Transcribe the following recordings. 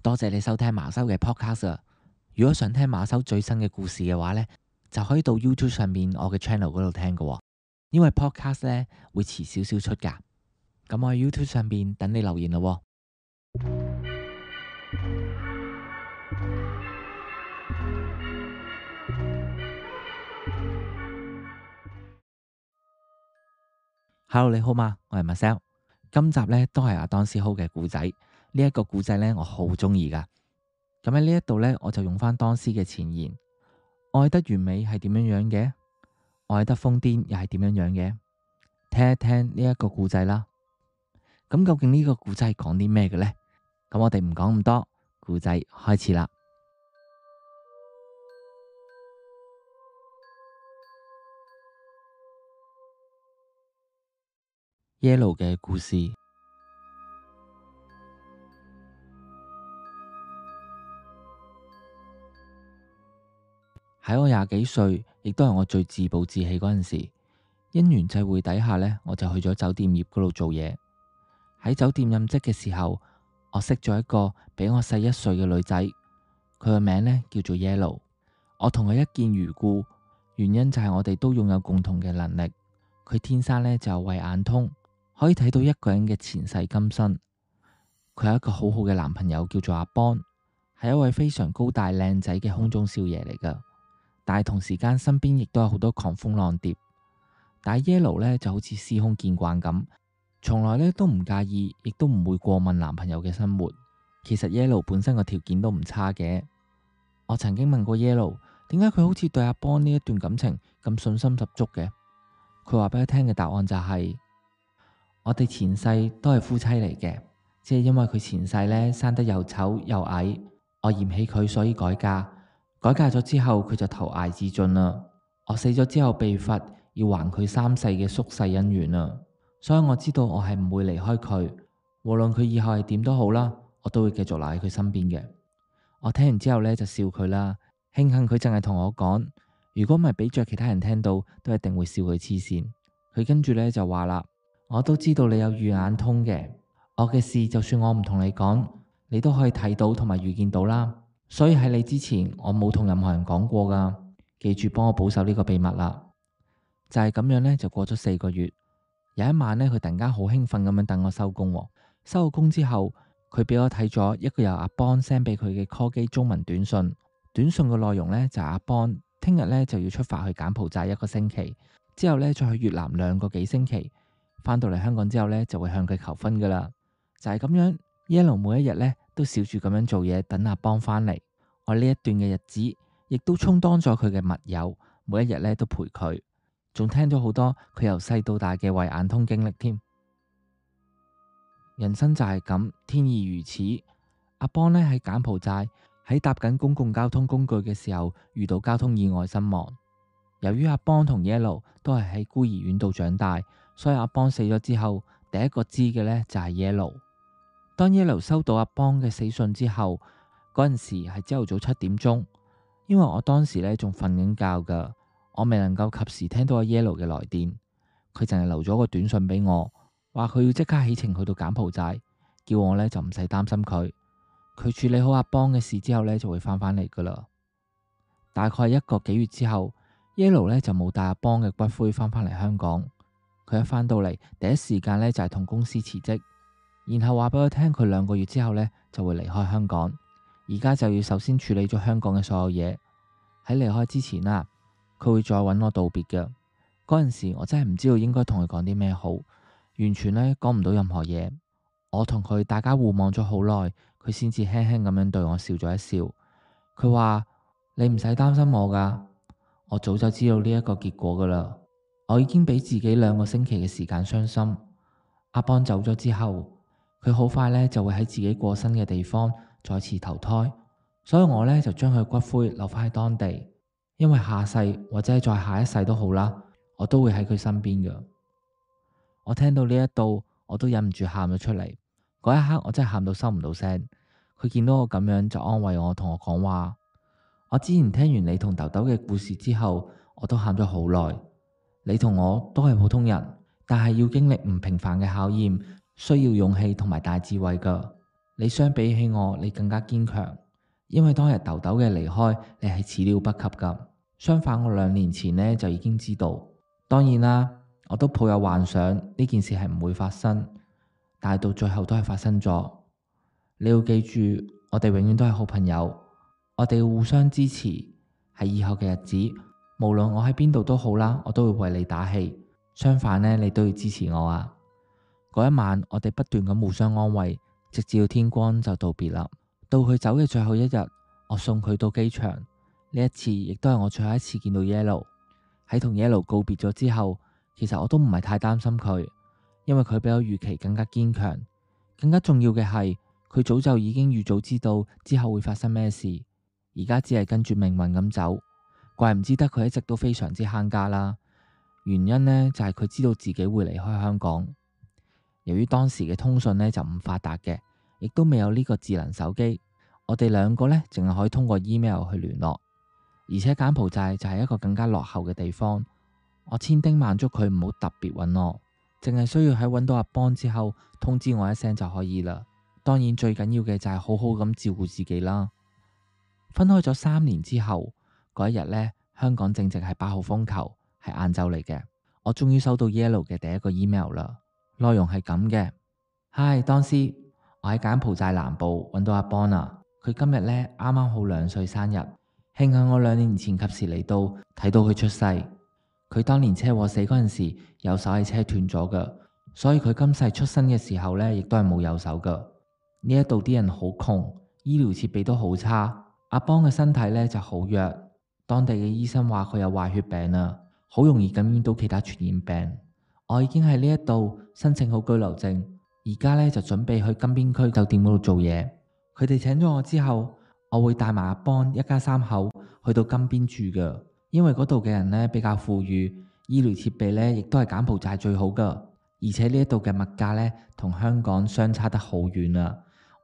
多謝你收聽馬修嘅 podcast 啊！如果想聽馬修最新嘅故事嘅話呢，就可以到 YouTube 上面我嘅 channel 嗰度聽㗎喎。因為 podcast 呢會遲少少出㗎。咁我喺 YouTube 上面等你留言咯喎。Hello， 你好嘛？我係 Marcel。今集呢都係阿當斯豪嘅故仔。呢一個故仔呢，我好中意噶。咁喺呢一度呢，我就用翻當斯嘅前言：愛得完美係點樣樣嘅？愛得瘋癲又係點樣樣嘅？聽一聽呢一個故仔啦。咁究竟呢個故仔係講啲咩嘅呢？咁我哋唔講咁多，故仔開始啦。Yellow 嘅故事。喺我20幾歲，亦都係我最自暴自棄嗰陣時，因緣際會底下呢，我就去咗酒店業嗰度做嘢。喺酒店任職嘅時候，我識咗一個比我細1歲嘅女仔，佢個名呢叫做 Yellow。我同佢一見如故，原因就係我哋都擁有共同嘅能力。佢天生呢就有慧眼通，可以睇到一個人嘅前世今生。佢有一個好好嘅男朋友叫做阿邦，係一位非常高大靚仔嘅空中少爺嚟噶。但係同時間身邊亦都有好多狂蜂浪蝶。但係 Yellow 呢就好似司空見慣咁，從來呢都唔介意，亦都唔會過問男朋友嘅生活。其實 Yellow 本身個條件都唔差嘅。我曾經問過 Yellow， 點解佢好似對阿邦呢一段感情咁信心十足嘅？佢話俾我聽嘅答案就係：我哋前世都係夫妻嚟嘅，只係因為佢前世呢生得又醜又矮，我嫌棄佢，所以改嫁。改嫁咗之後，佢就投崖自盡啦。我死咗之後被罰要還佢3世嘅宿世恩怨啊！所以我知道我係唔會離開佢，無論佢以後係點都好啦，我都會繼續留喺佢身邊嘅。我聽完之後呢，就笑佢啦，慶幸佢淨係同我講，如果唔係俾着其他人聽到，都一定會笑佢黐線。佢跟住呢就話啦：我都知道你有預眼通嘅，我嘅事就算我唔同你講，你都可以睇到同埋預見到啦。所以喺你之前，我冇同任何人講過噶，記住幫我保守呢個秘密啦。就係咁樣呢，就過咗4個月。有一晚呢，佢突然間好興奮咁樣等我收工。收咗工之後，佢俾我睇咗一個由阿邦 send 俾佢嘅 call 機中文短信。短信嘅內容呢，就係阿邦聽日呢就要出發去柬埔寨1個星期，之後呢再去越南2個幾星期，返到嚟香港之後呢，就會向佢求婚噶啦。就係咁樣，Yellow 每一日呢都笑住咁樣做嘢，等阿邦返嚟。我呢一段嘅日子，亦都充當咗佢嘅密友，每一日呢都陪佢，仲聽咗好多佢由細到大嘅慧眼通經歷添。人生就係咁，天意如此。阿邦呢喺柬埔寨喺搭緊公共交通工具嘅時候，遇到交通意外身亡。由於阿邦同 Yellow 都係喺孤兒院度長大，所以阿邦死咗之後，第一個知嘅呢就係 Yellow。當 Yellow 收到阿邦嘅死訊之後，嗰陣時係朝頭早7點鐘，因為我當時呢仲瞓緊覺噶，我未能夠及時聽到阿 Yellow 嘅來電。佢淨係留咗個短信俾我，話佢要即刻起程去到柬埔寨，叫我呢就唔使擔心佢。佢處理好阿邦嘅事之後呢，就會翻返嚟噶啦。大概1個幾月之後，Yellow 呢就冇帶阿邦嘅骨灰翻返嚟香港。佢一翻到嚟，第一時間呢就係同公司辭職，然後話俾我聽佢2個月之後呢就會離開香港。而家就要首先處理咗香港嘅所有嘢。喺離開之前啊，佢會再揾我道別嘅。嗰陣時我真係唔知道應該同佢講啲咩好，完全呢講唔到任何嘢。我同佢大家互望咗好耐，佢先至輕輕咁樣對我笑咗一笑。佢話：你唔使擔心我噶，我早就知道呢一個結果噶啦。我已經俾自己2個星期嘅時間傷心。阿邦走咗之後，佢好快呢就會喺自己過身嘅地方再次投胎，所以我呢就將佢骨灰留返喺當地，因為下世或者係再下一世都好啦，我都會喺佢身邊嘅。我聽到呢一度，我都忍唔住喊咗出嚟。嗰一刻我真係喊到收唔到聲。佢見到我咁樣就安慰我，同我講話：我之前聽完你同豆豆嘅故事之後，我都喊咗好耐。你同我都係普通人，但係要經歷唔平凡嘅考驗，需要勇氣同埋大智慧噶。你相比起我，你更加堅強，因為當日豆豆嘅離開，你係始料不及噶。相反，我2年前呢就已經知道。當然啦，我都抱有幻想呢件事係唔會發生，但係到最後都係發生咗。你要記住，我哋永遠都係好朋友，我哋要互相支持。喺以後嘅日子，無論我喺邊度都好啦，我都會為你打氣。相反呢，你都要支持我啊！嗰一晚，我哋不斷咁互相安慰，直至到天光就道別啦。到佢走嘅最後一日，我送佢到機場。呢一次亦都係我最後一次見到 Yellow。喺同 Yellow 告別咗之後，其實我都唔係太擔心佢，因為佢比我預期更加堅強。更加重要嘅係，佢早就已經預早知道之後會發生咩事，而家只係跟住命運咁走。怪唔之得佢一直都非常之慳家啦。原因呢，就係佢知道自己會離開香港。由於當時嘅通訊呢就唔發達嘅，亦都未有呢個智能手機，我哋2個呢淨係可以通過 email 去聯絡。而且柬埔寨就係一個更加落後嘅地方，我千叮萬囑佢唔好特別揾我，淨係需要喺揾到阿邦之後通知我一聲就可以啦。當然最緊要嘅就係好好咁照顧自己啦。分開咗3年之後，嗰一日呢，香港正值係8號風球，係晏晝嚟嘅。我終於收到 Yellow 嘅第一個 email 啦，內容係咁嘅。嗨，當師，我喺柬埔寨南部揾到阿邦啦。佢今日呢啱啱好2歲生日，慶幸我2年前及時嚟到，睇到佢出世。佢當年車禍死嗰陣時，右手係車斷咗㗎，所以佢今世出生嘅時候呢，亦都係冇右手㗎。呢一度啲人好窮，醫療設備都好差。阿邦嘅身體呢就好弱，當地嘅醫生話佢有壞血病啊，好容易感染到其他傳染病。我已經喺呢一度申請好居留證，而家呢就準備去金邊區酒店嗰度做嘢。佢哋請咗我之後，我會帶埋阿邦一家3口去到金邊住㗎，因為嗰度嘅人呢比較富裕，醫療設備呢亦都係柬埔寨最好㗎，而且呢一度嘅物價呢同香港相差得好遠啊。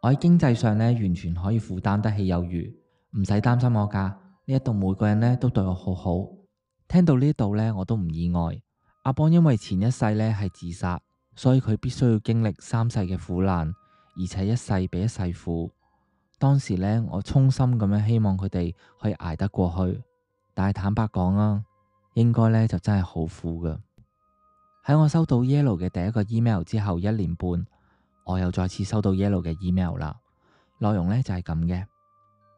我喺經濟上呢完全可以負擔得起有餘，唔使擔心我噶。呢一度每個人呢都對我好好。聽到呢度呢，我都唔意外。阿邦因為前一世呢係自殺，所以佢必須要經歷3世嘅苦難，而且一世比一世苦。當時呢，我衷心咁樣希望佢哋可以捱得過去，但係坦白講啊，應該呢就真係好苦噶。喺我收到 Yellow 嘅第一個 email 之後1年半，我又再次收到 Yellow 嘅 email 啦，內容呢就係咁嘅。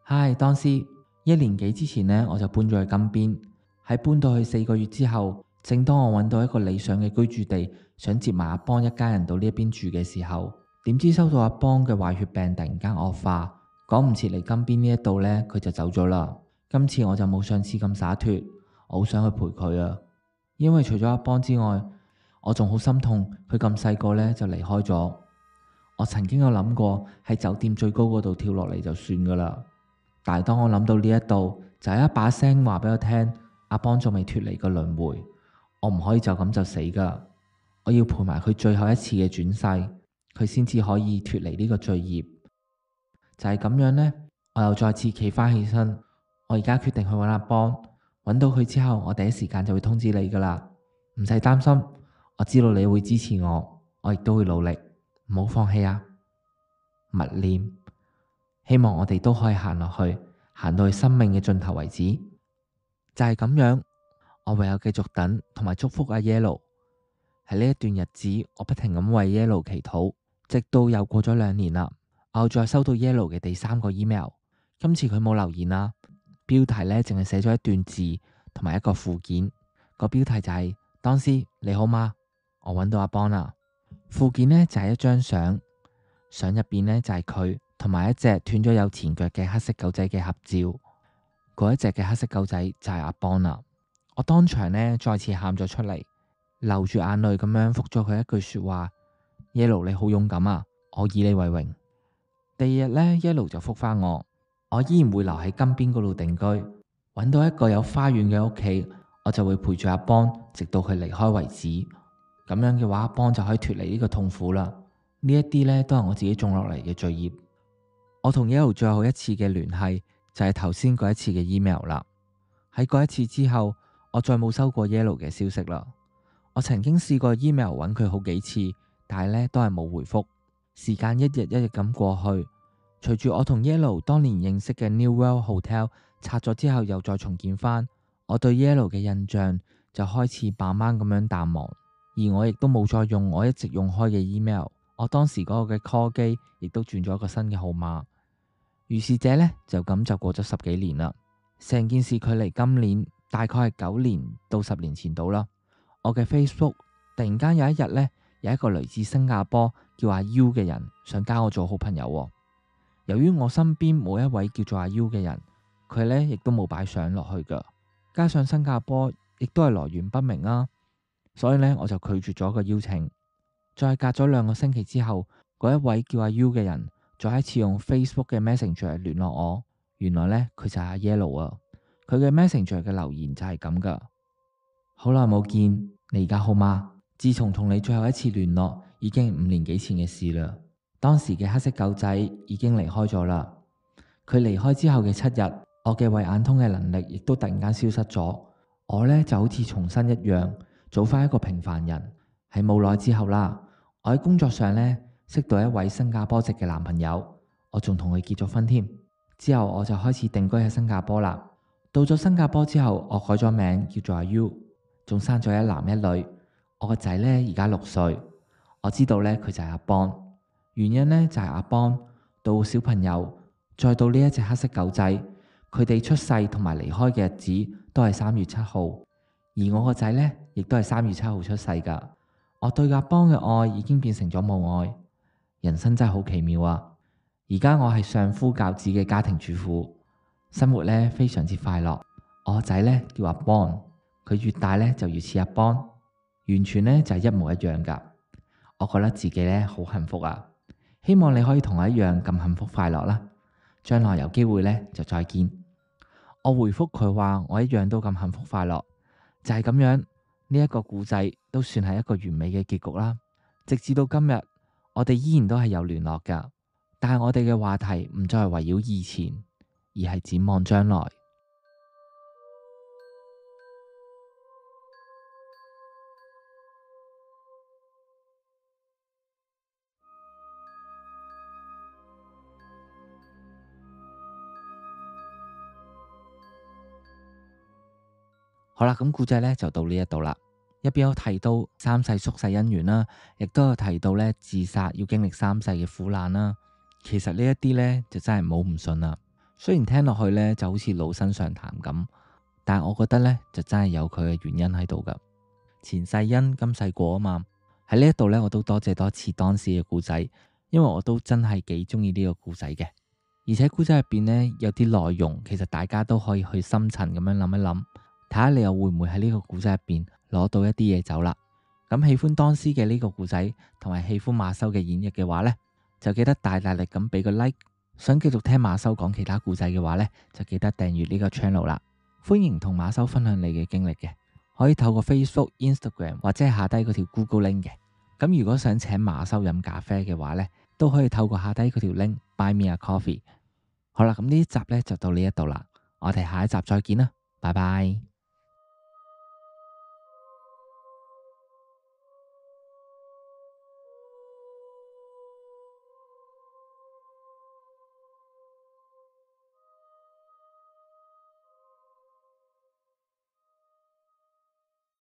嗨，當師，1年幾之前呢，我就搬咗去金邊。喺搬到去4個月之後，正當我揾到一個理想嘅居住地，想接埋阿邦一家人到呢一邊住嘅時候，點知收到阿邦嘅壞血病突然間惡化，趕唔切嚟金邊呢一度呢，佢就走咗啦。今次我就冇上次咁灑脫，我好想去陪佢啊，因為除咗阿邦之外，我仲好心痛佢咁細個呢就離開咗。我曾經有諗過喺酒店最高嗰度跳落嚟就算噶啦，但係當我諗到呢一度，就有一把聲話俾我聽，阿邦仲未脫離個輪迴，我唔可以就咁就死噶，我要陪埋佢最後一次嘅轉世，佢先至可以脫離呢個罪孽。就係咁樣呢，我又再次企翻起身，我而家決定去揾阿邦，揾到佢之後，我第一時間就會通知你噶啦，唔使擔心，我知道你會支持我，我亦都會努力。唔好放棄啊！勿念，希望我哋都可以行落去，行到去生命嘅盡頭為止。就係咁樣，我唯有繼續等同埋祝福阿 Yellow。喺呢一段日子，我不停咁為 Yellow 祈禱，直到又過咗2年啦。我再收到 Yellow 嘅第3個 email， 今次佢冇留言啦，標題呢淨係寫咗一段字同埋一個附件。個標題就係當師你好嗎？我揾到阿邦啦。附件呢就係一張相，相入邊呢就係佢同埋一隻斷咗有前腳嘅黑色狗仔嘅合照。嗰一隻嘅黑色狗仔就係阿邦啦。我當場呢再次喊咗出嚟，流住眼淚咁樣覆咗佢一句說話：Yellow 你好勇敢啊，我以你為榮。第2日呢 Yellow 就覆返我依然會留喺金邊嗰度定居，揾到一個有花園嘅屋企，我就會陪住阿邦直到佢離開為止。咁樣嘅話，阿邦就可以脫離呢個痛苦啦。呢一啲呢都係我自己種落嚟嘅罪孽。我同 Yellow 最後一次嘅聯繫就係頭先嗰一次嘅 email 啦。喺嗰一次之後，我再冇收過 Yellow 嘅消息啦。我曾經試過 email 揾佢好幾次，但係呢都係冇回覆。時間一日一日咁過去，隨住我同 Yellow 當年認識嘅 New World Hotel 拆咗之後又再重建翻，我對 Yellow 嘅印象就開始慢慢咁樣淡忘，而我亦都冇再用我一直用開嘅 email， 我當時嗰個嘅 call 機亦都轉咗一個新嘅號碼。如是者呢，就咁就過咗10幾年啦。成件事距離今年大概係9年到10年前到啦。我嘅 Facebook 突然間有一日呢，有一個來自新加坡叫阿 U 嘅人想加我做好朋友喎。由於我身邊冇一位叫做阿 U 嘅人，佢呢亦都冇擺相落去噶，加上新加坡亦都係來源不明啦，所以呢，我就拒絕咗個邀請。再隔咗2個星期之後，嗰一位叫阿 U 嘅人再一次用 Facebook 嘅 Messenger 聯絡我，原來呢，佢就係阿 Yellow 啊。佢嘅 Messenger 嘅留言就係咁噶：好耐冇見，你而家好嗎？自從同你最後一次聯絡，已經5年幾前嘅事啦。當時嘅黑色狗仔已經離開咗啦。佢離開之後嘅7日，我嘅慧眼通嘅能力亦都突然間消失咗。我呢就好似重新一樣，做翻一個平凡人。喺冇耐之後啦，我喺工作上呢識到一位新加坡籍嘅男朋友，我仲同佢結咗婚添。之後我就開始定居喺新加坡啦。到咗新加坡之後，我改咗名叫做阿 U， 仲生咗一男一女。我個仔呢而家6歲，我知道呢，佢就係阿邦。原因呢，就係阿邦到小朋友，再到呢一隻黑色狗仔，佢哋出世同埋離開嘅日子都係3月7號，而我個仔呢，亦都係3月7號出世噶。我對阿邦嘅愛已經變成咗母愛。人生真係好奇妙啊！而家我係相夫教子嘅家庭主婦，生活呢非常之快樂。我個仔呢叫阿邦，佢越大呢就越似阿邦，完全呢就係一模一樣噶。我覺得自己呢好幸福啊！希望你可以同我一樣咁幸福快樂啦。將來有機會呢就再見。我回覆佢話我一樣都咁幸福快樂，就係咁樣。呢一個故仔都算係一個完美嘅結局啦。直至到今日，我哋依然都係有聯絡噶，但係我哋嘅話題唔再係圍繞以前，而係展望將來。好啦，咁故仔呢就到呢一度啦。入邊有提到3世宿世姻緣啦，亦都有提到呢自殺要經歷3世嘅苦難啦。其實呢一啲呢，就真係唔好唔信啦。雖然聽落去呢就好似老生常談咁，但係我覺得呢，就真係有佢嘅原因喺度噶。前世因今世果啊嘛。喺呢一度呢，我都多謝多次當時嘅故仔，因為我都真係幾中意呢個故仔嘅。而且故仔入邊呢，有啲內容，其實大家都可以去深層咁樣諗一諗，睇下你又會唔會喺呢個故仔入邊攞到一啲嘢走啦。咁喜歡當時嘅呢個故仔，同埋喜歡馬修嘅演繹嘅話呢，就記得大力咁俾個 like。想繼續聽馬修講其他故仔嘅話呢，就記得訂閱呢個 channel 啦。歡迎同馬修分享你嘅經歷嘅，可以透過 Facebook、Instagram 或者係下低嗰條 Google link 嘅。咁如果想請馬修飲咖啡嘅話呢，都可以透過下低嗰條 link Buy Me a Coffee。好啦，咁呢一集呢就到呢一度啦，我哋下一集再見啦，拜拜。